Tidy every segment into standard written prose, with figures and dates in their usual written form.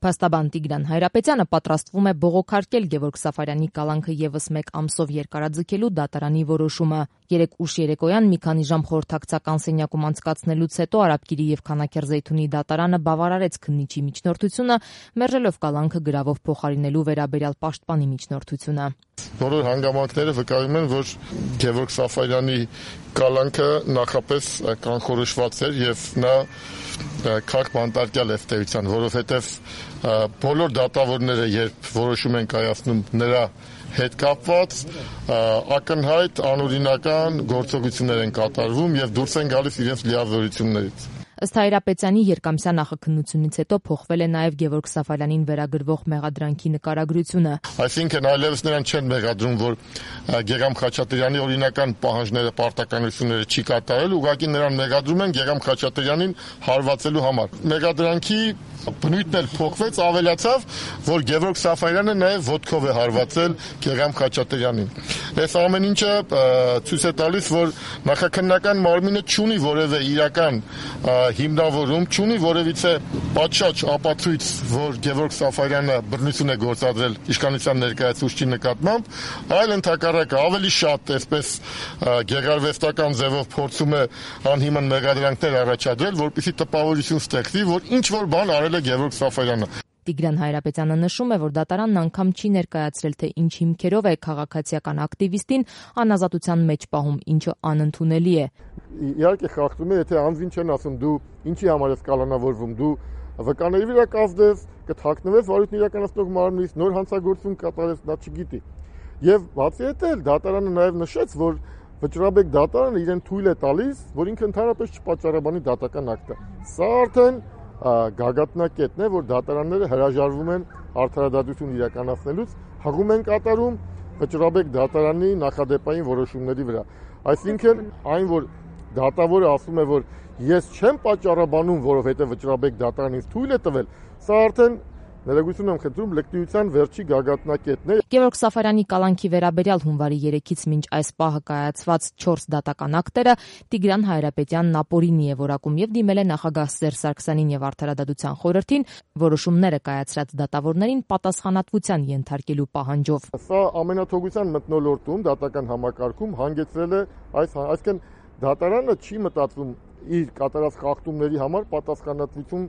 Փաստաբան Տիգրան Հայրապետյանը պատրաստվում է բողոքարկել Գևորգ Սաֆարյանի կալանքը եւս մեկ ամսով երկարաձգելու դատարանի որոշումը։ Երեկ ուշ երեկոյան մի քանի ժամ խորհրդակցական սենյակում անցկացնելուց հետո Արաբկիրի եւ Քանաքեռզեյթունի դատարանը բավարարեց քննիչի միջնորդությունը, մերժելով կալանքը գրավով փոխարինելու վերաբերյալ պաշտպանի միջնորդությունը։ Բոլոր հանգամանքները վկայում են, որ Գևորգ Սաֆարյանի կալանքը նախապես կանխորոշված էր եւ նա քաղաք բանտարկյալ է ըստեյության, որովհետեւ բոլոր դատավորները, երբ որոշում են կայացնում նրա հետ կապված, ակնհայտ անօրինական գործողություններ են կատարվում եւ դուրս են գալիս իրենց լիազորություններից։ Ըստ Հայրապետյանի երկամսյա նախաքննությունից հետո փոխվել է նաև Գևորգ Սաֆարյանին վերագրվող մեղադրանքի նկարագրությունը։ Այսինքն այլևս նրան չեն մեղադրում, որ Գեգամ Խաչատրյանի օրինական պահանջները, պարտականությունները չի կատարել, ուղղակի նրան մեղադրում են Գեգամ Խաչատրյանին հարվածելու համար։ Մեղադրանքի բնույթն էլ փոխվեց, ավելացավ, որ Գևորգ Սաֆարյանը նաև ոտքով է հարվածել Գեգամ Խաչատրյանին։ Այս ամեն ինչը ցույց է տալիս, որ նախաքննական մարմինը չունի որևէ իրական հիմնավորում, չունի որևիցե պատշաճ ապացույց, որ Գևորգ Սաֆարյանը բռնություն է գործադրել իշխանության ներկայացուցչի նկատմամբ, այլ ընդհակառակը ավելի շատ այսպես գեղարվեստական ձևով փորձում է անհիմն մեղադրանքներ առաջադրել, որպեսզի տպավորություն ստեղծի, որ ինչ որ բան արել է Գևորգ Սաֆարյանը։ Տիգրան Հայրապետյանը նշում է, որ դատարանն անգամ չի ներկայացրել, թե ինչ հիմքերով է քաղաքացիական ակտիվիստին անազատության մեջ պահում, ինչը անընդունելի է։ Իհարկե խախտում է, եթե անձին չեն ասում դու ինչի համար ես կալանավորվում, դու վկաների վրա կազդես, կթաքնվես վարույթն իրականացնող մարմնից, նոր հանցագործություն կատարես, դա չգիտի։ Եվ բացի այդ էլ դատարանը նաև նշեց, որ Վճռաբեկ դատարանը իրեն թույլ է տալիս, որ ինքը ընդհանրապես չպատճառաբանի դատական ակտը։ Սա արդեն գագաթնակետն է, որ դատարանները հրաժարվում են արդարադատություն իրականացնելուց, հղում են կատարում Վճռաբեկ դատարանի նախադեպային որոշումների վրա։ Այսինքն այն, որ դատավորը ասում է, որ ես չեմ պատճառաբանում, որովհետև Վճռաբեկ դատարանն ինձ թույլ է տվել, սա արդեն ներողություն եմ խնդրում, լկտիության վերջի գագաթնակետն է։ Գևորգ Սաֆարյանի կալանքի վերաբերյալ հունվարի 3-ից մինչ այս պահը կայացված 4 դատական ակտերը Տիգրան Հայրապետյանն ապօրինի է որակում եւ դիմել է նախագահ Սերժ Սարգսյանին եւ Արդարադատության խորհրդին որոշումները կայացրած դատավորներին պատասխանատվության ենթարկելու պահանջով։ Սա ամենաթողության մթնոլորտում դատական համակարգում հանգեցրել է այսինքն դատարանը չի մտածում իր կատարած խախտումների համար պատասխանատվություն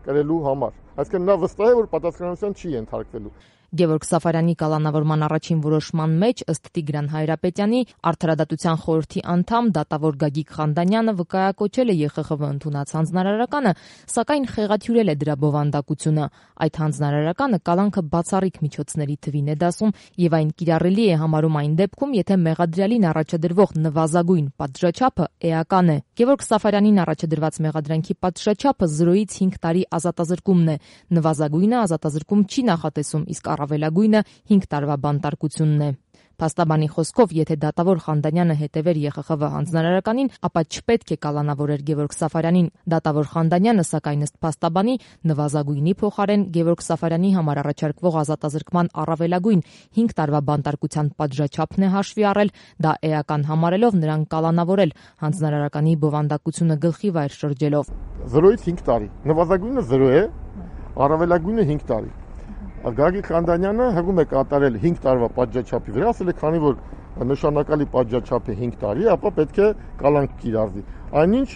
կրելու համար։ Այսինքն նա վստահ է, որ պատասխանատվության չի ենթարկվելու։ Գևորգ Սաֆարյանի կալանավորման առաջին որոշման մեջ ըստ Տիգրան Հայրապետյանի Արդարադատության խորհրդի անդամ դատավոր Գագիկ Խանդանյանը վկայակոչել է ԵԽԽՎ ընդունած հանձնարարականը, սակայն խեղաթյուրել է դրա բովանդակությունը։ Այդ հանձնարարականը կալանքը բացառիկ միջոցների թվին է դասում եւ այն կիրառելի է համարում այն դեպքում, եթե մեղադրյալին առաջադրվող նվազագույն պատժաչափը էական է։ Գևորգ Սաֆարյանին առաջադրված մեղադրանքի պատժաչափը 0-ից 5 տարի ազատազրկումն է։ Նվազագույնը ազատազրկում չի նախատեսում, իսկ առավելագույնը 5 տարվա բանտարկությունն է։ Փաստաբանի խոսքով, եթե դատավոր Խանդանյանը հետևեր ԵԽԽՎ հանձնարարականին, ապա չպետք է կալանավորեր Գևորգ Սաֆարյանին։ Դատավոր Խանդանյանը, սակայն ըստ փաստաբանի, նվազագույնի փոխարեն Գևորգ Սաֆարյանի համար առաջարկվող ազատազրկման առավելագույն 5 տարվա բանտարկության պատժաչափն է հաշվի առել, դա էական համարելով նրան կալանավորել հանձնարարականի բովանդակությունը գլխի վայր շրջելով։ 0-ից 5 տարի։ Նվազագույնը 0 է, առավելագույնը 5 տարի։ Գագիկ Խանդանյանը հղում է կատարել 5 տարվա պատժաչափի վրա, ասել է, քանի որ նշանակալի պատժաչափը 5 տարի է, ապա պետք է կալանք կիրառվի։ Այնինչ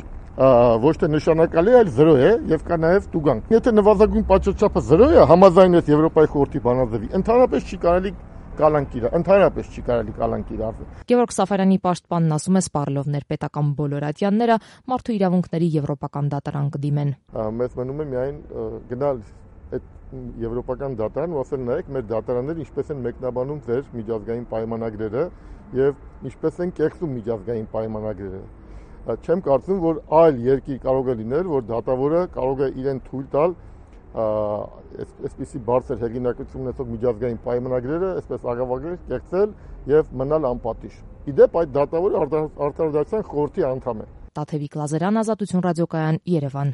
ոչ թե նշանակալի, այլ 0 է եւ կա նաեւ տուգանք։ Եթե նվազագույն պատժաչափը 0 է, համաձայն է Եվրոպայի խորհրդի բանաձևի, ընդհանրապես չի կարելի կալանք կիրառվել։ Գևորգ Սաֆարյանի պաշտպանն ասում է, սպառելով ներպետական բոլոր ատյանները, մարդու իրավունքների եվրոպական դատարան կդիմեն։ Մեզ մնում է միայն գնալ այդ եվրոպական դատարան ու ասել նայեք մեր դատարանները ինչպես են մեկնաբանում ձեր միջազգային պայմանագրերը եւ ինչպես են կեղծում միջազգային պայմանագրերը։ Չեմ կարծում, որ այլ երկիր կարող է լինել, որ դատավորը կարող է իրեն թույլ տալ այսպիսի բարձր հեղինակություն ունեցող միջազգային պայմանագրերը այսպես աղավաղել, կեղծել եւ մնալ անպատիժ։ Իդեպ այդ դատավորը Արդարադատության խորհրդի անդամ է։ Տաթևիկ Լազարյան, Ազատություն ռադիոկայան, Երևան։